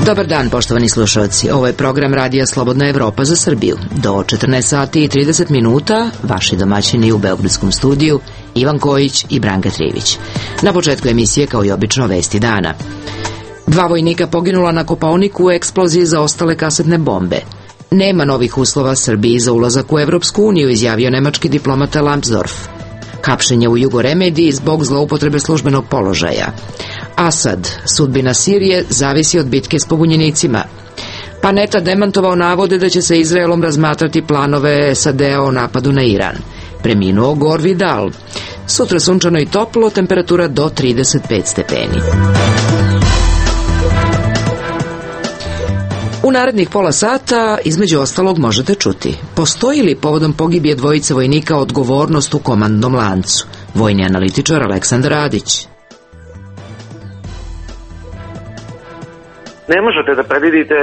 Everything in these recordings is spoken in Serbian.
Dobar dan, poštovani slušalci. Ovo je program Radija Slobodna Evropa za Srbiju. Do 14 sati i 30 minuta vaši domaćini u beogradskom studiju Ivan Kojić i Branka Trivić. Na početku emisije, kao i obično, vesti dana. 2 vojnika poginula na Kopaoniku u eksploziji zaostale kasetne bombe. Nema novih uslova Srbiji za ulazak u Evropsku uniju, izjavio nemački diplomata Lambsdorff. Hapšenje u Jugoremediji zbog zloupotrebe službenog položaja. Asad, sudbina Sirije zavisi od bitke s pobunjenicima. Panetta demantovao navode da će sa Izraelom razmatrati planove SAD-a o napadu na Iran. Preminuo Gore Vidal. Sutra sunčano i toplo, temperatura do 35 stepeni. U narednih pola sata, između ostalog, možete čuti: postoji li povodom pogibije dvojice vojnika odgovornost u komandnom lancu? Vojni analitičar Aleksandar Radić. Ne možete da predvidite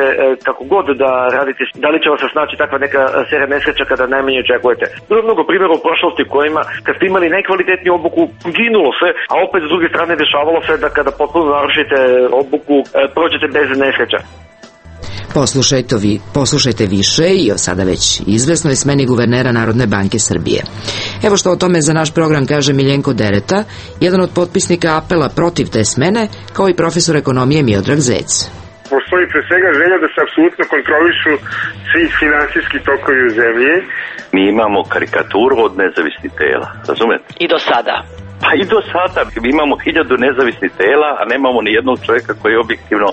kako god da radite, da li će vas se snaći takva neka serija nesreća kada najmanje očekujete. Bilo je mnogo primjera u prošlosti u kojima kad ste imali najkvalitetniju obuku ginulo se, a opet s druge strane dešavalo se da kada potpuno narušite obuku prođete bez nesreća. Poslušajte više i o sada već izvesnoj smeni guvernera Narodne banke Srbije. Evo što o tome za naš program kaže Miljenko Dereta, jedan od potpisnika apela protiv te smene, kao i profesor ekonomije Miodrag Zec. Postoji pre svega želja da se apsolutno kontrolišu svi finansijski tokovi u zemlji. Mi imamo karikaturu od nezavisnih tela, razumete? I do sada. Pa i do sada. Mi imamo 1000 nezavisnih tela, a nemamo ni jednog čovjeka koji je objektivno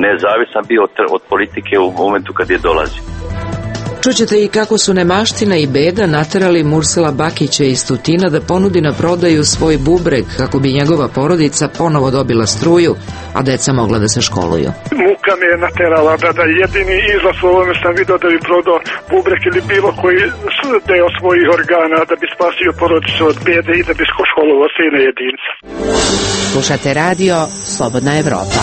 nezavisan bio od politike u momentu kad je dolazi. Čućete i kako su nemaština i beda naterali Mursela Bakića iz Tutina da ponudi na prodaju svoj bubreg kako bi njegova porodica ponovo dobila struju, a deca mogla da se školuju. Muka me je naterala da jedini izlaz u ovome sam vidio da bi prodao bubreg ili bilo koji deo svojih organa da bi spasio porodicu od bede i da bi školovao sine jedinca. Slušate radio Slobodna Evropa.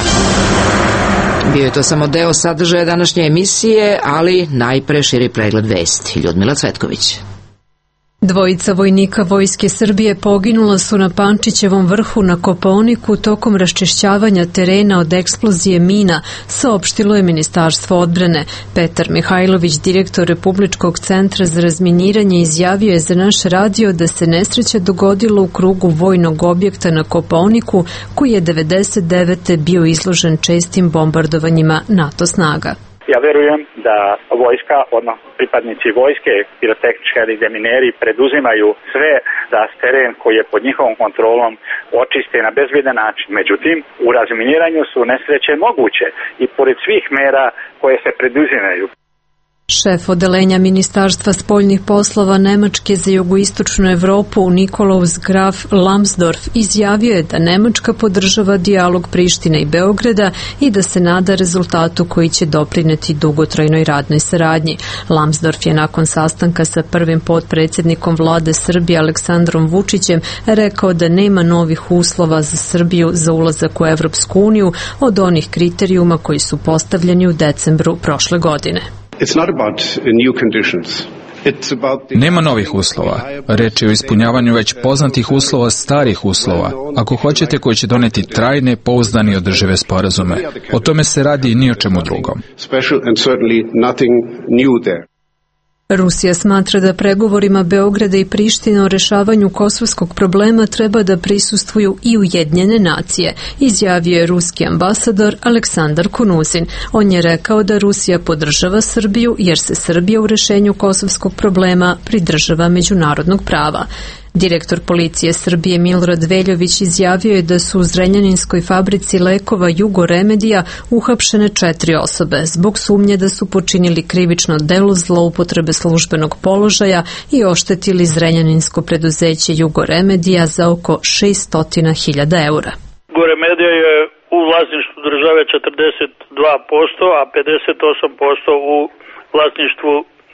Bio je to samo deo sadržaja današnje emisije, ali najpre širi pregled vesti. Ljudmila Cvetković. 2 vojnika Vojske Srbije poginula su na Pančićevom vrhu na Kopaoniku tokom raščišćavanja terena od eksplozije mina, saopštilo je Ministarstvo odbrane. Petar Mihajlović, direktor Republičkog centra za razminiranje, izjavio je za naš radio da se nesreća dogodila u krugu vojnog objekta na Kopaoniku, koji je 1999. bio izložen čestim bombardovanjima NATO snaga. Ja verujem da vojska, odnosno pripadnici vojske, pirotehnički demineri preduzimaju sve da teren koji je pod njihovom kontrolom očiste na bezbedan način. Međutim, u razminiranju su nesreće moguće i pored svih mera koje se preduzimaju. Šef odelenja Ministarstva spoljnih poslova Nemačke za jugoistočnu Evropu Nikolaus Graf Lambsdorff izjavio je da Nemačka podržava dijalog Prištine i Beograda i da se nada rezultatu koji će doprineti dugotrajnoj radnoj saradnji. Lambsdorff je nakon sastanka sa prvim potpredsjednikom vlade Srbije Aleksandrom Vučićem rekao da nema novih uslova za Srbiju za ulazak u Evropsku uniju od onih kriterijuma koji su postavljeni u decembru prošle godine. Nema novih uslova. Reč je o ispunjavanju već poznatih uslova, starih uslova, ako hoćete, koji će doneti trajne, pouzdane i održive sporazume. O tome se radi i ni o čemu drugom. Rusija smatra da pregovorima Beograda i Prištine o rešavanju kosovskog problema treba da prisustvuju i Ujedinjene nacije, izjavio je ruski ambasador Aleksandar Konuzin. On je rekao da Rusija podržava Srbiju jer se Srbija u rešenju kosovskog problema pridržava međunarodnog prava. Direktor policije Srbije Milorad Veljović izjavio je da su u Zrenjaninskoj fabrici lekova Jugoremedija uhapšene 4 osobe zbog sumnje da su počinili krivično delo zloupotrebe službenog položaja i oštetili Zrenjaninsko preduzeće Jugoremedija za oko 600.000 eura. Jugoremedija je u vlasništvu države 42%, a 58% u vlasništvu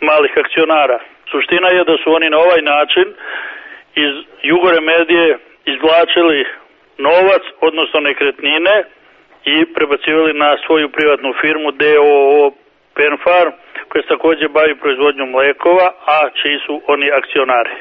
malih akcionara. Suština je da su oni na ovaj način iz Jugoremedije izvlačili novac, odnosno nekretnine, i prebacivali na svoju privatnu firmu DOO Penfarm, koja se također bavi proizvodnjom mlekova, a čiji su oni akcionari.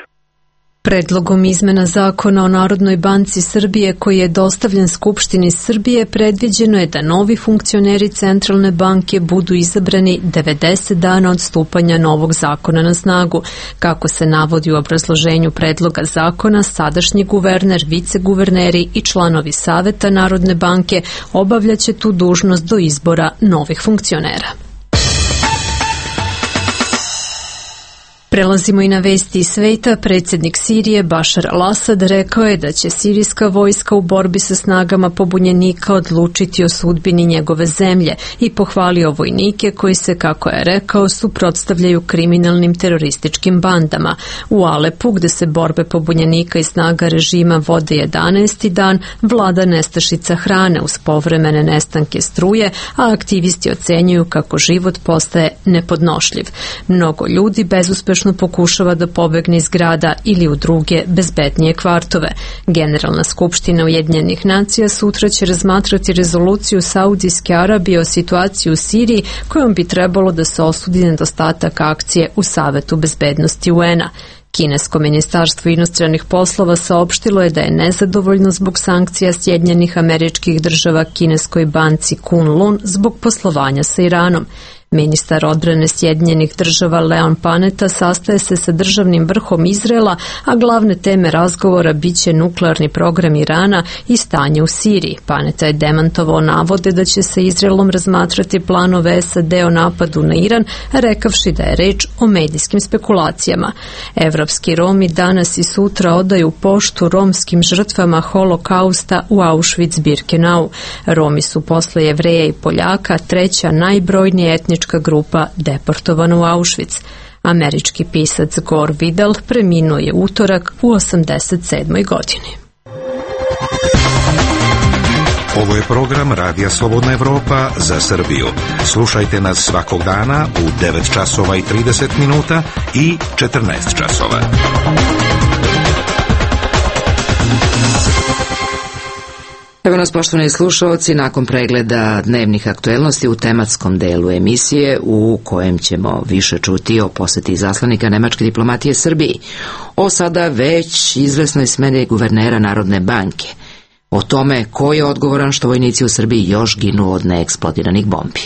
Predlogom izmena zakona o Narodnoj banci Srbije koji je dostavljen Skupštini Srbije predviđeno je da novi funkcioneri Centralne banke budu izabrani 90 dana od stupanja novog zakona na snagu. Kako se navodi u obrazloženju predloga zakona, sadašnji guverner, viceguverneri i članovi Saveta Narodne banke obavljaće tu dužnost do izbora novih funkcionera. Prelazimo i na vesti iz sveta. Predsjednik Sirije Bašar al-Asad rekao je da će sirijska vojska u borbi sa snagama pobunjenika odlučiti o sudbini njegove zemlje i pohvalio vojnike koji se, kako je rekao, suprotstavljaju kriminalnim terorističkim bandama. U Alepu, gde se borbe pobunjenika i snaga režima vode 11. dan, vlada nestašica hrane uz povremene nestanke struje, a aktivisti ocenjuju kako život postaje nepodnošljiv. Mnogo ljudi bezuspešno pokušava da pobegne iz grada ili u druge bezbednije kvartove. Generalna skupština Ujedinjenih nacija sutra će razmatrati rezoluciju Saudijske Arabije o situaciji u Siriji kojom bi trebalo da se osudi nedostatak akcije u Savetu bezbednosti UN-a. Kinesko ministarstvo inostranih poslova saopštilo je da je nezadovoljno zbog sankcija Sjedinjenih Američkih Država kineskoj banci Kunlun zbog poslovanja sa Iranom. Ministar odbrane Sjedinjenih Država Leon Panetta sastaje se sa državnim vrhom Izraela, a glavne teme razgovora biće nuklearni program Irana i stanje u Siriji. Panetta je demantovao navode da će sa Izraelom razmatrati planove SAD o napadu na Iran, rekavši da je reč o medijskim spekulacijama. Evropski Romi danas i sutra odaju poštu romskim žrtvama holokausta u Auschwitz-Birkenau. Romi su posle Jevreja i Poljaka treća najbrojnija etnička grupa deportovana u Auschwitz. Američki pisac Gore Vidal preminuo je utorak u 87. godini. Ovo je program Radija Slobodna Evropa za Srbiju. Slušajte nas svakog dana u 9 časova i 30 minuta i 14 časova. Evo nas, poštovani slušalci, nakon pregleda dnevnih aktuelnosti u tematskom delu emisije u kojem ćemo više čuti o poseti izaslanika nemačke diplomatije Srbiji, o sada već izvesnoj smeni guvernera Narodne banke, o tome ko je odgovoran što vojnici u Srbiji još ginu od neeksplodiranih bombi.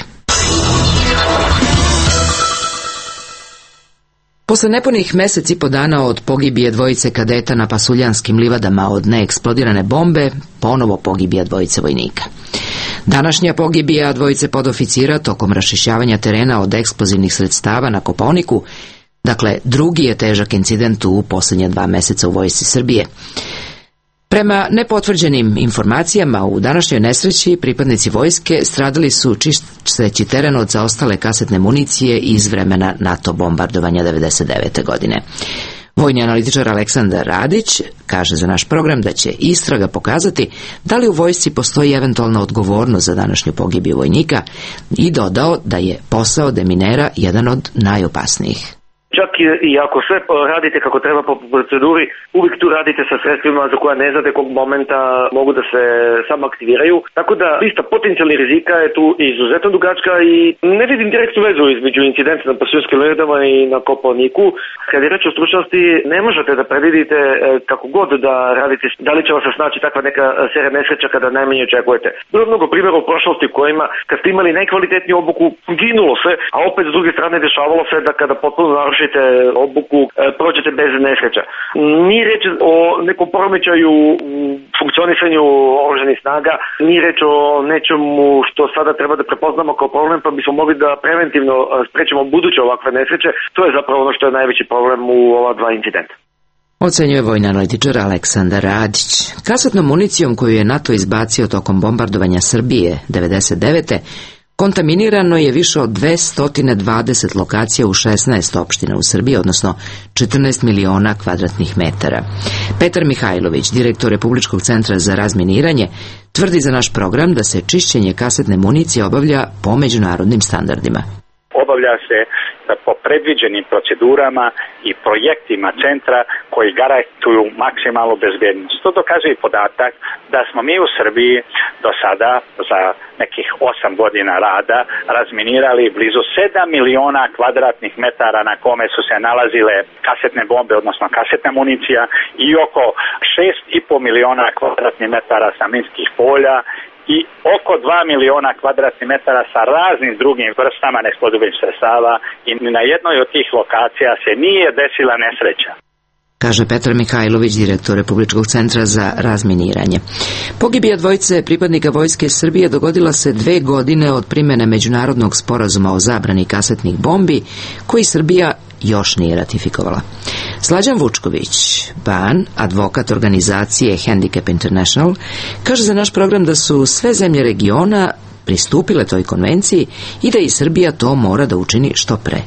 Posle nepunih mesec i po dana od pogibije dvojice kadeta na Pasuljanskim livadama od neeksplodirane bombe, ponovo pogibija dvojice vojnika. Današnja pogibija dvojice podoficira tokom raščišćavanja terena od eksplozivnih sredstava na Kopaoniku, dakle drugi je težak incident u posljednje 2 meseca u vojsci Srbije. Prema nepotvrđenim informacijama, u današnjoj nesreći pripadnici vojske stradali su čisteći teren od zaostale kasetne municije iz vremena NATO bombardovanja 1999. godine. Vojni analitičar Aleksandar Radić kaže za naš program da će istraga pokazati da li u vojsci postoji eventualna odgovornost za današnju pogibiju vojnika i dodao da je posao deminera jedan od najopasnijih. Čak i ako sve radite kako treba po proceduri, uvijek tu radite sa sredstvima za koja ne znate kog momenta mogu da se samo aktiviraju. Tako da lista potencijalnih rizika je tu izuzetno dugačka i ne vidim direktnu vezu između incidenta na Pasuljanskim livadama i na Kopaoniku. Kad je reč o stručnosti, ne možete da predvidite kako god da radite, da li će vas se snaći takva neka serija nesreća kada najmanje očekujete. Bilo mnogo primjera u prošlosti u kojima kad ste imali najkvalitetniju obuku, ginulo se, a opet s druge strane dešavalo se da kada potpuno narušite obuku, prođete bez nesreća. Nije reč o nekom poremećaju u funkcionisanju oružanih snaga, nije reč o nečemu što sada treba da prepoznamo kao problem, pa bismo mogli da preventivno sprečimo buduće ovakve nesreće. To je zapravo ono što je najveći problem u ova 2 incidenta. Ocenjuje vojni analitičar Aleksandar Radić. Kasetnom municijom koju je NATO izbacio tokom bombardovanja Srbije 1999. kontaminirano je više od 220 lokacija u 16 opština u Srbiji, odnosno 14 miliona kvadratnih metara. Petar Mihajlović, direktor Republičkog centra za razminiranje, tvrdi za naš program da se čišćenje kasetne municije obavlja po međunarodnim standardima. Obavlja se po predviđenim procedurama i projektima centra koji garantuju maksimalnu bezbednost. To dokazuje i podatak da smo mi u Srbiji do sada za nekih 8 godina rada razminirali blizu 7 miliona kvadratnih metara na kome su se nalazile kasetne bombe, odnosno kasetna municija, i oko 6,5 miliona kvadratnih metara sa minskih polja i oko 2 miliona kvadratnih metara sa raznim drugim vrstama neeksplodirajućih sredstava, i na jednoj od tih lokacija se nije desila nesreća. Kaže Petar Mihajlović, direktor Republičkog centra za razminiranje. Pogibija dvojice pripadnika Vojske Srbije dogodila se 2 godine od primene Međunarodnog sporazuma o zabrani kasetnih bombi, koji Srbija još nije ratifikovala. Slađan Vučković, Ban, advokat organizacije Handicap International, kaže za naš program da su sve zemlje regiona pristupile toj konvenciji i da i Srbija to mora da učini što pre.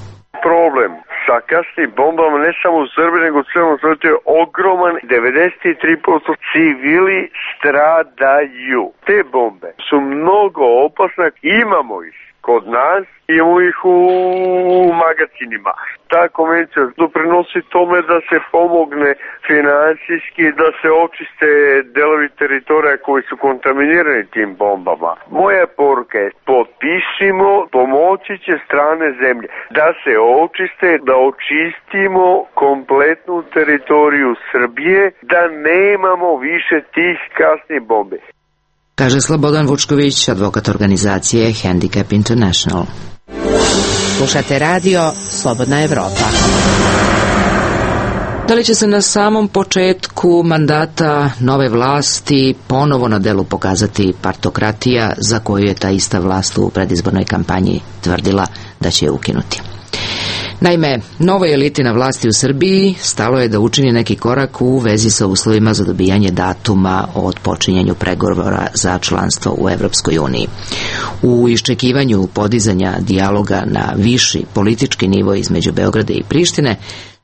Problem sa kasnim bombama ne samo u Srbiji, nego u celom svetu je ogroman. 93% civili stradaju. Te bombe su mnogo opasne, imamo ih kod nas, imamo ih u magazinima. Ta konvencija doprinosi tome da se pomogne finansijski, da se očiste delovi teritorija koji su kontaminirani tim bombama. Moja poruka je: potpisimo, pomoći će strane zemlje da se očiste, da očistimo kompletnu teritoriju Srbije, da nemamo više tih kasnih bombi. Kaže Slobodan Vučković, advokat organizacije Handicap International. Slušate radio Slobodna Evropa. Da li će se na samom početku mandata nove vlasti ponovo na delu pokazati partokratija za koju je ta ista vlast u predizbornoj kampanji tvrdila da će je ukinuti? Naime, novoj eliti na vlasti u Srbiji stalo je da učini neki korak u vezi sa uslovima za dobijanje datuma o otpočinjanju pregovora za članstvo u Evropskoj uniji. U iščekivanju podizanja dijaloga na viši politički nivo između Beograda i Prištine,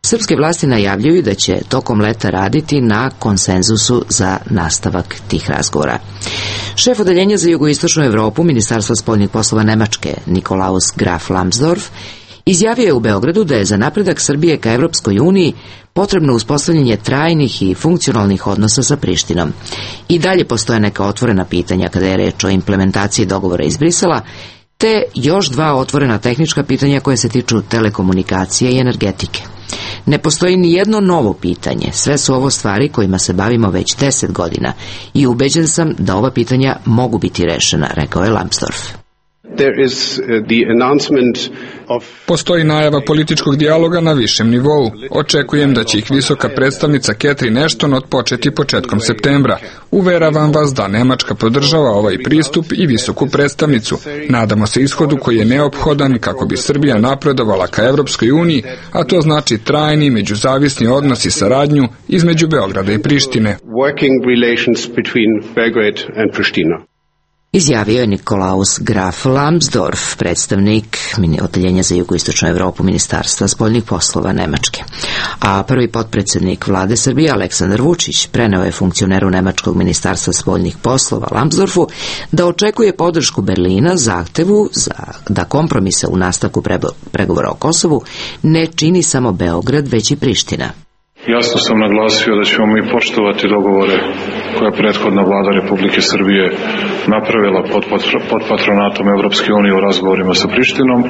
srpske vlasti najavljuju da će tokom leta raditi na konsenzusu za nastavak tih razgovora. Šef odeljenja za jugoistočnu Evropu Ministarstva spoljnih poslova Nemačke, Nikolaus Graf Lambsdorff, izjavio je u Beogradu da je za napredak Srbije ka Evropskoj uniji potrebno uspostavljanje trajnih i funkcionalnih odnosa sa Prištinom. I dalje postoje neka otvorena pitanja kada je reč o implementaciji dogovora iz Brisela, te još 2 otvorena tehnička pitanja koje se tiču telekomunikacije i energetike. Ne postoji ni jedno novo pitanje, sve su ovo stvari kojima se bavimo već 10 godina i ubeđen sam da ova pitanja mogu biti rešena, rekao je Lambsdorff. Postoji najava političkog dijaloga na višem nivou. Očekujem da će ih visoka predstavnica Catherine Ashton otpočeti početkom septembra. Uveravam vas da Nemačka podržava ovaj pristup i visoku predstavnicu. Nadamo se ishodu koji je neophodan kako bi Srbija napredovala ka Evropskoj uniji, a to znači trajni međuzavisni odnos i saradnju između Beograda i Prištine. Izjavio je Nikolaus Graf Lambsdorff, predstavnik odeljenja za jugoistočnu Evropu Ministarstva spoljnih poslova Nemačke. A prvi potpredsjednik vlade Srbije Aleksandar Vučić preneo je funkcioneru Nemačkog ministarstva spoljnih poslova Lambsdorffu da očekuje podršku Berlina zahtevu da kompromise u nastavku pregovora o Kosovu ne čini samo Beograd, već i Priština. Jasno sam naglasio da ćemo mi poštovati dogovore koje je prethodna vlada Republike Srbije napravila pod patronatom Evropske unije u razgovorima sa Prištinom.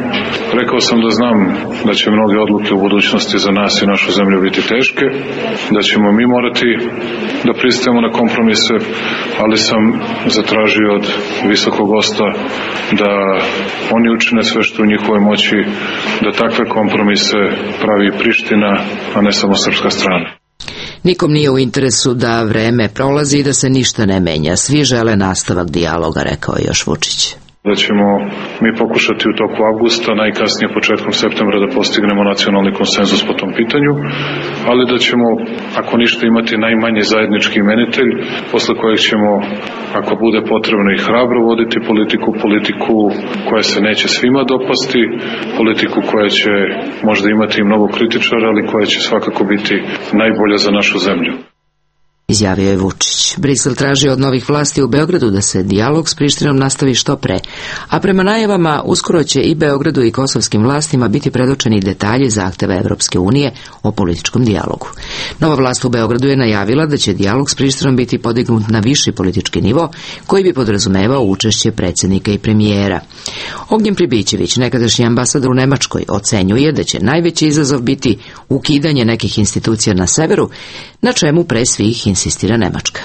Rekao sam da znam da će mnoge odluke u budućnosti za nas i našu zemlju biti teške, da ćemo mi morati da pristajemo na kompromise, ali sam zatražio od visokog gosta da oni učine sve što u njihovoj moći da takve kompromise pravi Priština, a ne samo srpska strana. Nikom nije u interesu da vreme prolazi i da se ništa ne menja. Svi žele nastavak dijaloga, rekao je još Vučić. Da ćemo mi pokušati u toku avgusta, najkasnije početkom septembra, da postignemo nacionalni konsenzus po tom pitanju, ali da ćemo, ako ništa, imati najmanji zajednički imenitelj, posle kojeg ćemo, ako bude potrebno, i hrabro voditi politiku koja se neće svima dopasti, politiku koja će možda imati i mnogo kritičara, ali koja će svakako biti najbolja za našu zemlju. izjavio je Vučić. Brisel traži od novih vlasti u Beogradu da se dijalog s Prištinom nastavi što pre, a prema najavama uskoro će i Beogradu i kosovskim vlastima biti predočeni detalji zahteva Evropske unije o političkom dijalogu. Nova vlast u Beogradu je najavila da će dijalog s Prištinom biti podignut na viši politički nivo, koji bi podrazumevao učešće predsjednika i premijera. Ognjen Pribićević, nekadašnji ambasador u Nemačkoj, ocenjuje da će najveći izazov biti ukidanje nekih institucija na severu, na čemu pre svih insistira Nemačka.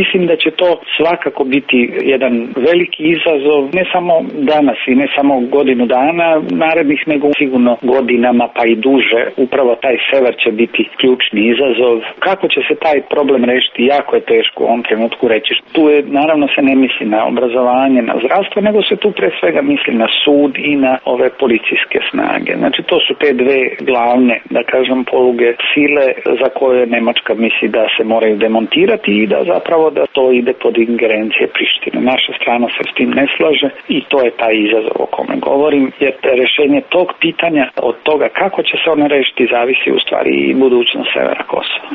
Mislim da će to svakako biti jedan veliki izazov, ne samo danas i ne samo godinu dana narednih, nego sigurno godinama pa i duže. Upravo taj sever će biti ključni izazov. Kako će se taj problem rešiti, jako je teško u ovom trenutku reći. Tu je, naravno se ne misli na obrazovanje, na zdravstvo, nego se tu pre svega misli na sud i na ove policijske snage. Znači to su te dve glavne, da kažem, poluge sile za koje Nemačka misli da se moraju demontirati i da zapravo da to ide pod ingerencije Prištine. Naša strana se s tim ne slaže i to je taj izazov o kome govorim, jer rešenje tog pitanja od toga kako će se ono rešiti zavisi u stvari i budućnost severa Kosova.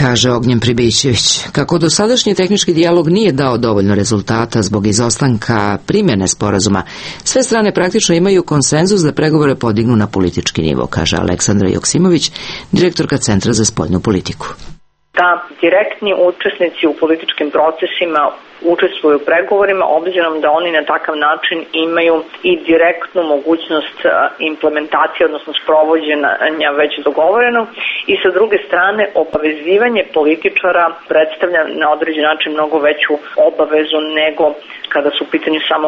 Kaže Ognjen Pribićević. Kako dosadašnji tehnički dijalog nije dao dovoljno rezultata zbog izostanka primjene sporazuma, sve strane praktično imaju konsenzus da pregovore podignu na politički nivo, kaže Aleksandra Joksimović, direktorka Centra za spoljnu politiku. Da direktni učesnici u političkim procesima učestvuju u pregovorima, obzirom da oni na takav način imaju i direktnu mogućnost implementacije, odnosno sprovođenja već dogovoreno, i sa druge strane obavezivanje političara predstavlja na određen način mnogo veću obavezu nego kada su u pitanju samo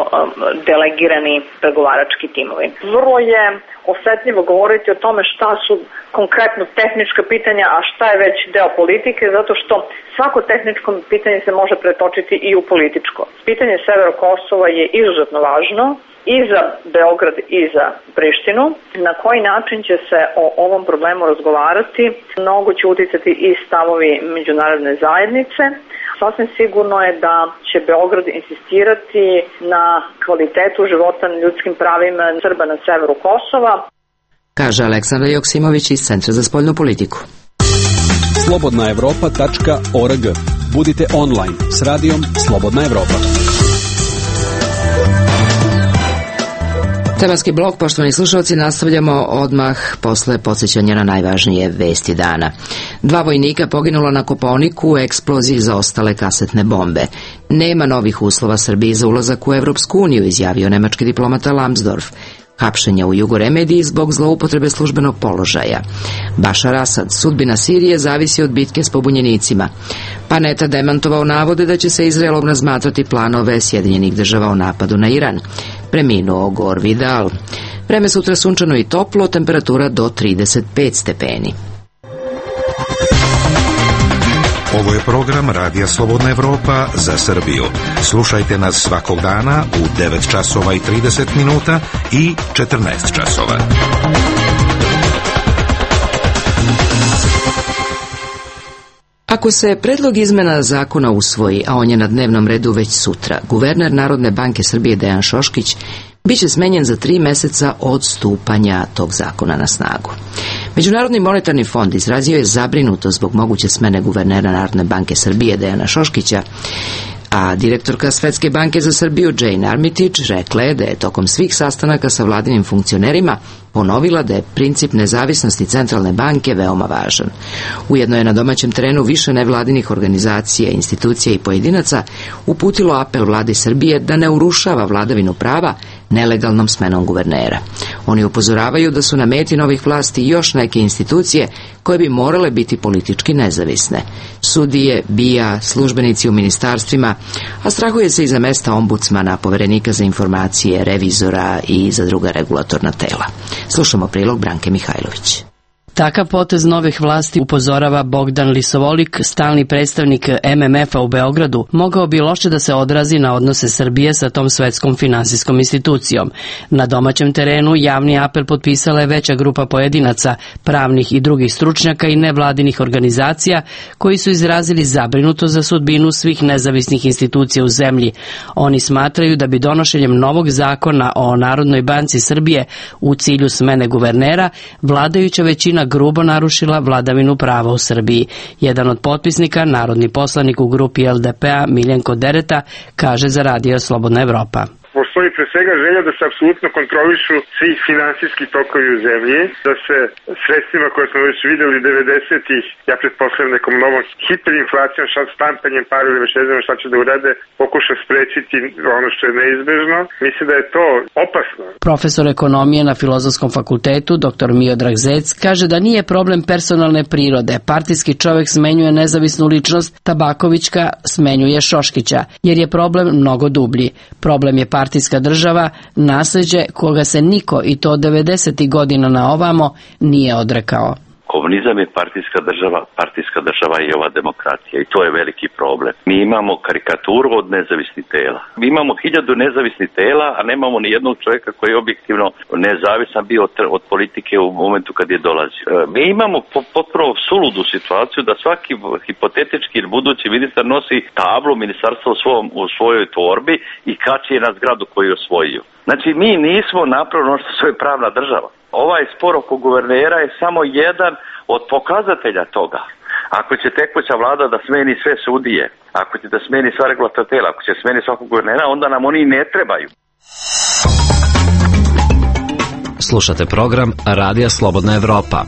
delegirani pregovarački timovi. Vrlo je osetljivo govoriti o tome šta su konkretno tehnička pitanja, a šta je već deo politike, zato što svako tehničko pitanje se može pretočiti i u političko. Pitanje severa Kosova je izuzetno važno i za Beograd i za Prištinu. Na koji način će se o ovom problemu razgovarati, mnogo će uticati i stavovi međunarodne zajednice. Sasvim sigurno je da će Beograd insistirati na kvalitetu života, na ljudskim pravima Srba na severu Kosova. Kaže Aleksandra Joksimović iz Centra za spoljnu politiku. slobodnaevropa.org. Budite online s radijom Slobodna Evropa. Tematski blok, poštovani slušalci, nastavljamo odmah posle podsjećanja na najvažnije vesti dana. 2 vojnika poginula na Kopaoniku u eksploziji zaostale kasetne bombe. Nema novih uslova Srbiji za ulazak u Evropsku uniju, izjavio nemački diplomata Lambsdorff. Hapšenja u Jugoremediji zbog zloupotrebe službenog položaja. Bašar Asad, sudbina Sirije zavisi od bitke s pobunjenicima. Paneta demantovao navode da će se Izraelom razmatrati planove Sjedinjenih država o napadu na Iran. Preminuo Gore Vidal. Vreme sutra sunčano i toplo, temperatura do 35 stepeni. Ovo je program Radija Slobodna Evropa za Srbiju. Slušajte nas svakog dana u 9 časova i 30 minuta i 14 časova. Ako se predlog izmena zakona usvoji, a on je na dnevnom redu već sutra, guverner Narodne banke Srbije Dejan Šoškić biće smenjen za 3 meseca od stupanja tog zakona na snagu. Međunarodni monetarni fond izrazio je zabrinutost zbog moguće smene guvernera Narodne banke Srbije Dejana Šoškića, a direktorka Svetske banke za Srbiju Jane Armitage rekla je da je tokom svih sastanaka sa vladinim funkcionerima ponovila da je princip nezavisnosti centralne banke veoma važan. Ujedno je na domaćem terenu više nevladinih organizacija, institucija i pojedinaca uputilo apel vladi Srbije da ne urušava vladavinu prava nelegalnom smenom guvernera. Oni upozoravaju da su na meti novih vlasti još neke institucije koje bi morale biti politički nezavisne. Sudije, BIA, službenici u ministarstvima, a strahuje se i za mesta ombudsmana, poverenika za informacije, revizora i za druga regulatorna tela. Slušamo prilog Branke Mihajlović. Takav potez novih vlasti, upozorava Bogdan Lisovolik, stalni predstavnik MMF-a u Beogradu, mogao bi loše da se odrazi na odnose Srbije sa tom svetskom finansijskom institucijom. Na domaćem terenu javni apel potpisala je veća grupa pojedinaca, pravnih i drugih stručnjaka i nevladinih organizacija koji su izrazili zabrinutost za sudbinu svih nezavisnih institucija u zemlji. Oni smatraju da bi donošenjem novog zakona o Narodnoj banci Srbije u cilju smene guvernera vladajuća većina Priština grubo narušila vladavinu prava u Srbiji. Jedan od potpisnika, narodni poslanik u grupi LDP-a Miljenko Dereta, kaže za Radio Slobodna Evropa. Postoji pre svega želja da se apsolutno kontrolišu svi finansijski tokovi u zemlji, da se sredstvima koje smo već videli 90-ih, ja pretpostavljam nekom novom hiperinflacijom, štampanjem para ili već ne znam šta će da urade, pokuša sprečiti ono što je neizbežno. Mislim da je to opasno. Profesor ekonomije na Filozofskom fakultetu, dr. Miodrag Zec, kaže da nije problem personalne prirode. Partijski čovek smenjuje nezavisnu ličnost, Tabakovićka smenjuje Šoškića, jer je problem mnogo dublji. Problem je partijska država, nasleđe koga se niko, i to od 90. godina na ovamo, nije odrekao. Komunizam je partijska država je ova demokracija i to je veliki problem. Mi imamo karikaturu od nezavisnih tela. Mi imamo 1000 nezavisnih tela, a nemamo ni jednog čovjeka koji je objektivno nezavisan bio od politike u momentu kad je dolazio. Mi imamo potpuno suludu situaciju da svaki hipotetički ili budući ministar nosi tablu ministarstva u svojoj torbi i kači je na zgradu koju je osvojio. Znači, mi nismo napravili ono što je pravna država. Ovaj spor oko guvernera je samo jedan od pokazatelja toga. Ako će tekuća vlada da smeni sve sudije, ako će da smeni sva regulatorna tela, ako će smeni svakog guvernera, onda nam oni ne trebaju. Slušate program Radija Slobodna Evropa.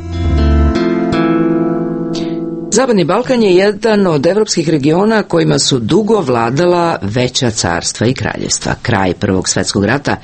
Zapadni Balkan je jedan od evropskih regiona kojima su dugo vladala veća carstva i kraljevstva. Kraj Prvog svjetskog rata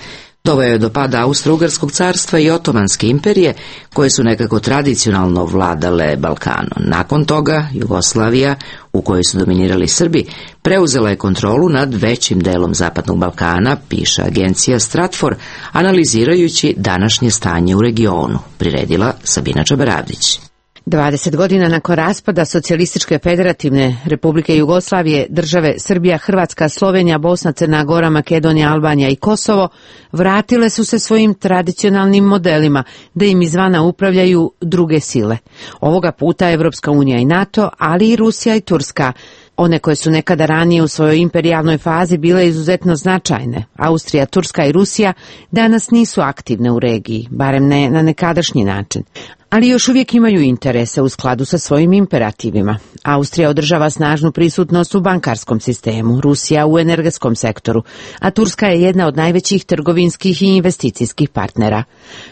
doveo je do pada Austro-Ugarskog carstva i Otomanske imperije, koje su nekako tradicionalno vladale Balkanom. Nakon toga Jugoslavija, u kojoj su dominirali Srbi, preuzela je kontrolu nad većim delom Zapadnog Balkana, piše agencija Stratfor, analizirajući današnje stanje u regionu, priredila Sabina Čabaravdić. 20 godina nakon raspada Socijalističke federativne Republike Jugoslavije, države Srbija, Hrvatska, Slovenija, Bosna, Crna Gora, Makedonija, Albanija i Kosovo vratile su se svojim tradicionalnim modelima da im izvana upravljaju druge sile. Ovoga puta Evropska unija i NATO, ali i Rusija i Turska, one koje su nekada ranije u svojoj imperijalnoj fazi bile izuzetno značajne. Austrija, Turska i Rusija danas nisu aktivne u regiji, barem ne na nekadašnji način. Ali još uvijek imaju interese u skladu sa svojim imperativima. Austrija održava snažnu prisutnost u bankarskom sistemu, Rusija u energetskom sektoru, a Turska je jedna od najvećih trgovinskih i investicijskih partnera.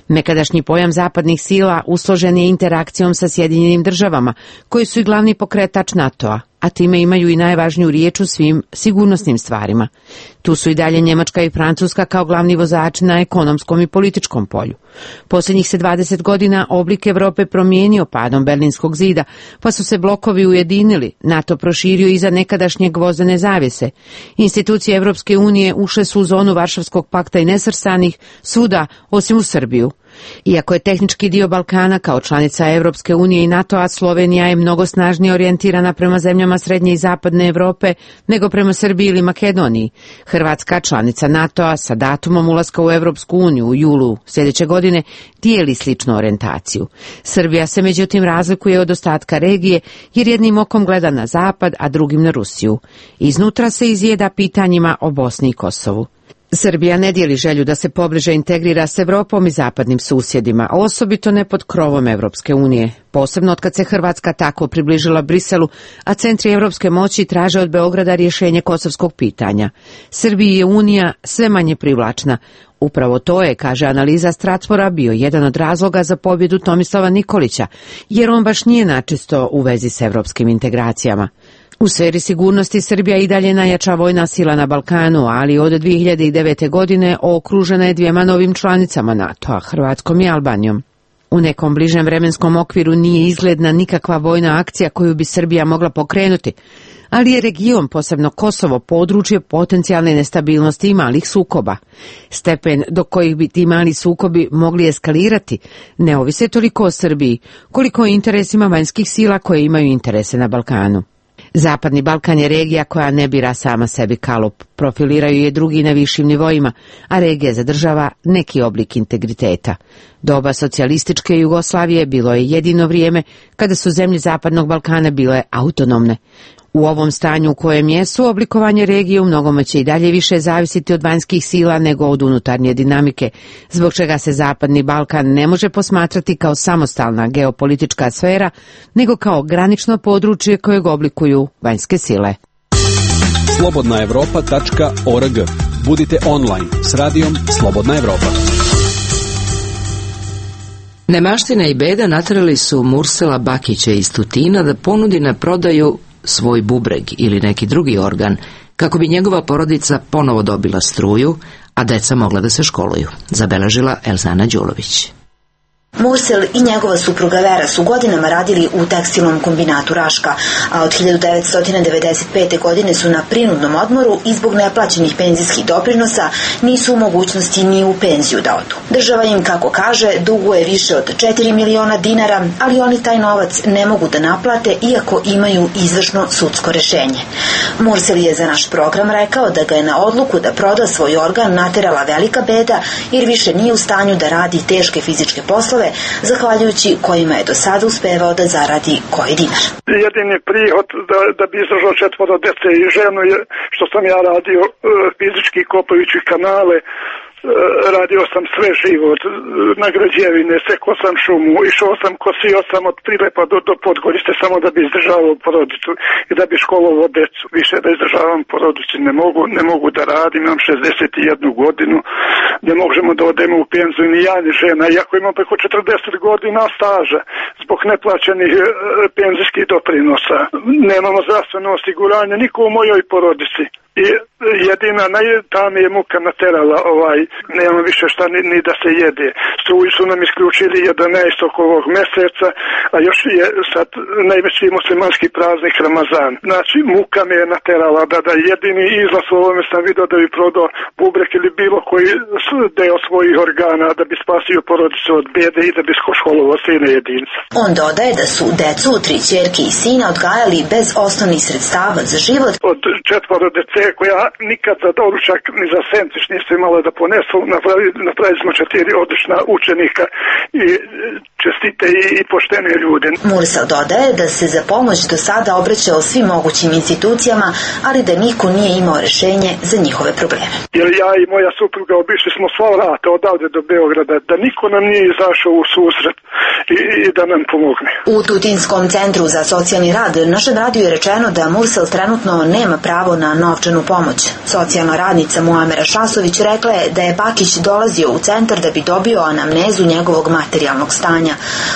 Nekadašnji pojam zapadnih sila usložen je interakcijom sa Sjedinjenim državama, koji su i glavni pokretač NATO-a, a time imaju i najvažniju riječ u svim sigurnosnim stvarima. Tu su i dalje Njemačka i Francuska kao glavni vozači na ekonomskom i političkom polju. Posljednjih se 20 godina oblik Evrope promijenio padom Berlinskog zida, pa su se blokovi ujedinili, NATO proširio iza nekadašnje gvozdene zavjese. Institucije Evropske unije ušle su u zonu Varšavskog pakta i nesrstanih svuda, osim u Srbiju. Iako je tehnički dio Balkana kao članica Evropske unije i NATO-a, Slovenija je mnogo snažnije orijentirana prema zemljama srednje i zapadne Evrope nego prema Srbiji ili Makedoniji. Hrvatska, članica NATO-a, sa datumom ulaska u Evropsku uniju u julu sljedeće godine, dijeli sličnu orijentaciju. Srbija se međutim razlikuje od ostatka regije jer jednim okom gleda na zapad, a drugim na Rusiju. Iznutra se izjeda pitanjima o Bosni i Kosovu. Srbija ne dijeli želju da se pobliže integrira s Evropom i zapadnim susjedima, osobito ne pod krovom Evropske unije. Posebno otkad se Hrvatska tako približila Briselu, a centri evropske moći traže od Beograda rješenje kosovskog pitanja. Srbiji je Unija sve manje privlačna. Upravo to je, kaže analiza Stratfora, bio jedan od razloga za pobjedu Tomislava Nikolića, jer on baš nije načisto u vezi s evropskim integracijama. U sferi sigurnosti Srbija i dalje najjača vojna sila na Balkanu, ali od 2009. godine okružena je dvijema novim članicama NATO-a, Hrvatskom i Albanijom. U nekom bližem vremenskom okviru nije izgledna nikakva vojna akcija koju bi Srbija mogla pokrenuti, ali je region, posebno Kosovo, područje potencijalne nestabilnosti i malih sukoba. Stepen do kojih bi ti mali sukobi mogli eskalirati ne ovise toliko o Srbiji, koliko o interesima vanjskih sila koje imaju interese na Balkanu. Zapadni Balkan je regija koja ne bira sama sebi kalup, profiliraju je drugi na višim nivoima, a regija zadržava neki oblik integriteta. Doba socijalističke Jugoslavije bilo je jedino vrijeme kada su zemlje Zapadnog Balkana bile autonomne. U ovom stanju u kojem jesu, oblikovanje regije u mnogome će i dalje više zavisiti od vanjskih sila nego od unutarnje dinamike, zbog čega se Zapadni Balkan ne može posmatrati kao samostalna geopolitička sfera, nego kao granično područje kojeg oblikuju vanjske sile. Slobodnaevropa.org. Budite online s radijom Slobodna Evropa. Nemaština i beda naterali su Mursela Bakića iz Tutina da ponudi na prodaju svoj bubreg ili neki drugi organ, kako bi njegova porodica ponovo dobila struju, a deca mogla da se školuju, zabeležila Elzana Đulović. Mursel i njegova supruga Vera su godinama radili u tekstilnom kombinatu Raška, a od 1995. godine su na prinudnom odmoru i zbog neplaćenih penzijskih doprinosa nisu u mogućnosti ni u penziju da odu. Država im, kako kaže, duguje više od 4 miliona dinara, ali oni taj novac ne mogu da naplate iako imaju izvršno sudsko rešenje. Mursel je za naš program rekao da ga je na odluku da proda svoj organ naterala velika beda jer više nije u stanju da radi teške fizičke poslove, zahvaljujući kojima je do sada uspevao da zaradi koji dinar. Jedini prihod da bi izdržao 4 dece i ženu je što sam ja radio fizički kopajući kanale. Radio sam sve život na građevine, sekao sam šumu, išao sam, kosio sam od Prilepa do Podgorice samo da bi izdržavao porodicu i da bi školovao decu. Više da izdržavam porodicu ne mogu da radim, imam 61 godinu, ne možemo da odemo u penziju ni ja ni žena, iako imam preko 40 godina staža zbog neplaćenih penzijskih doprinosa. Nemamo zdravstveno osiguranje, niko u mojoj porodici. I jedina, ta mi je muka naterala, nema više šta ni da se jede. Struju su nam isključili 11. ovog meseca, a još je sad najveći muslimanski praznik Ramazan. Znači, muka me je naterala da jedini izlaz u ovome sam vidio da bi prodao bubrek ili bilo koji deo svojih organa da bi spasio porodicu od bede i da bi školovao sine jedinca. On dodaje da su decu, 3 ćerke i sina odgajali bez osnovnih sredstava za život. Od 4 dece koja nikad za doručak ni za sendvič nisu imala da ponesu, napravili smo 4 odlična učenika i čestite i poštene ljude. Mursel dodaje da se za pomoć do sada obraćao svim mogućim institucijama, ali da niko nije imao rešenje za njihove probleme. Jer ja i moja supruga obišli smo sva vrata odavde do Beograda, da niko nam nije izašao u susret i da nam pomogne. U Tutinskom centru za socijalni rad našem radiju je rečeno da Mursel trenutno nema pravo na novčanu pomoć. Socijalna radnica Muamera Šasović rekla je da je Bakić dolazio u centar da bi dobio anamnezu njegovog materijalnog stanja.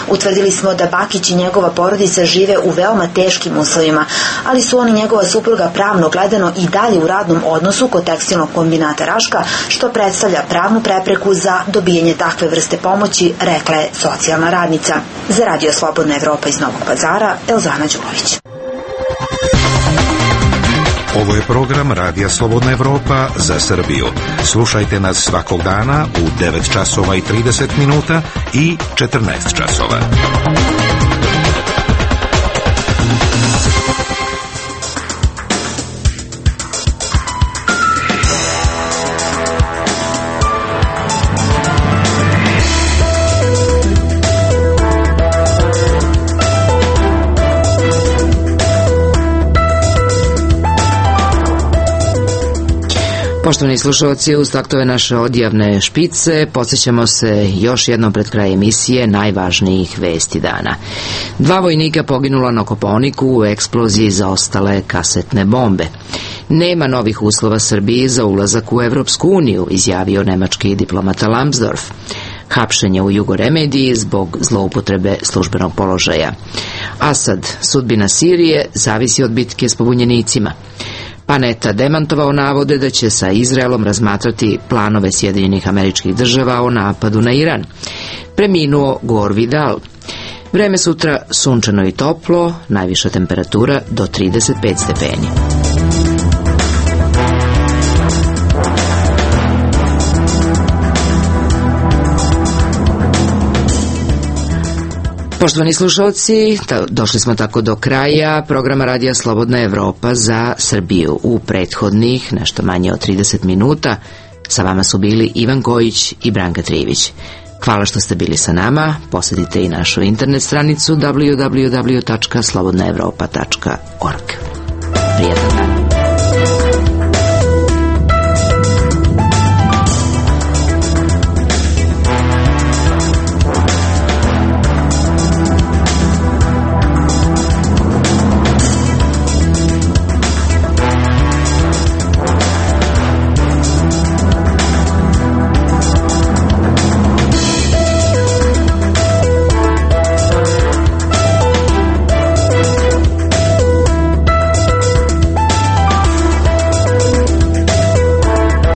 Utvrdili smo da Bakić i njegova porodica žive u veoma teškim uslovima, ali su on i njegova supruga pravno gledano i dalje u radnom odnosu kod tekstilnog kombinata Raška, što predstavlja pravnu prepreku za dobijanje takve vrste pomoći, rekla je socijalna radnica. Za Radio Slobodna Evropa iz Novog Pazara, Elzana Đulović. Ovo je program Radija Slobodna Evropa za Srbiju. Slušajte nas svakog dana u 9 časova i 30 minuta i 14 časova. Poštovani slušalci, uz taktove naše odjavne špice podsjećamo se još jednom pred kraj emisije najvažnijih vesti dana. 2 vojnika poginula na Kopaoniku u eksploziji zaostale kasetne bombe. Nema novih uslova Srbiji za ulazak u Evropsku uniju, izjavio nemački diplomata Lambsdorff. Hapšenje u Jugoremediji zbog zloupotrebe službenog položaja. Asad, sudbina Sirije zavisi od bitke s pobunjenicima. Panetta demantovao navode da će sa Izraelom razmatrati planove Sjedinjenih Američkih Država o napadu na Iran. Preminuo Gore Vidal. Vreme sutra sunčano i toplo, najviša temperatura do 35 stepeni. Poštovani slušalci, došli smo tako do kraja programa Radija Slobodna Evropa za Srbiju. U prethodnih nešto manje od 30 minuta sa vama su bili Ivan Kojić i Branka Trivić. Hvala što ste bili sa nama. Posjetite i našu internet stranicu www.slobodnaevropa.org. Prijetan dan.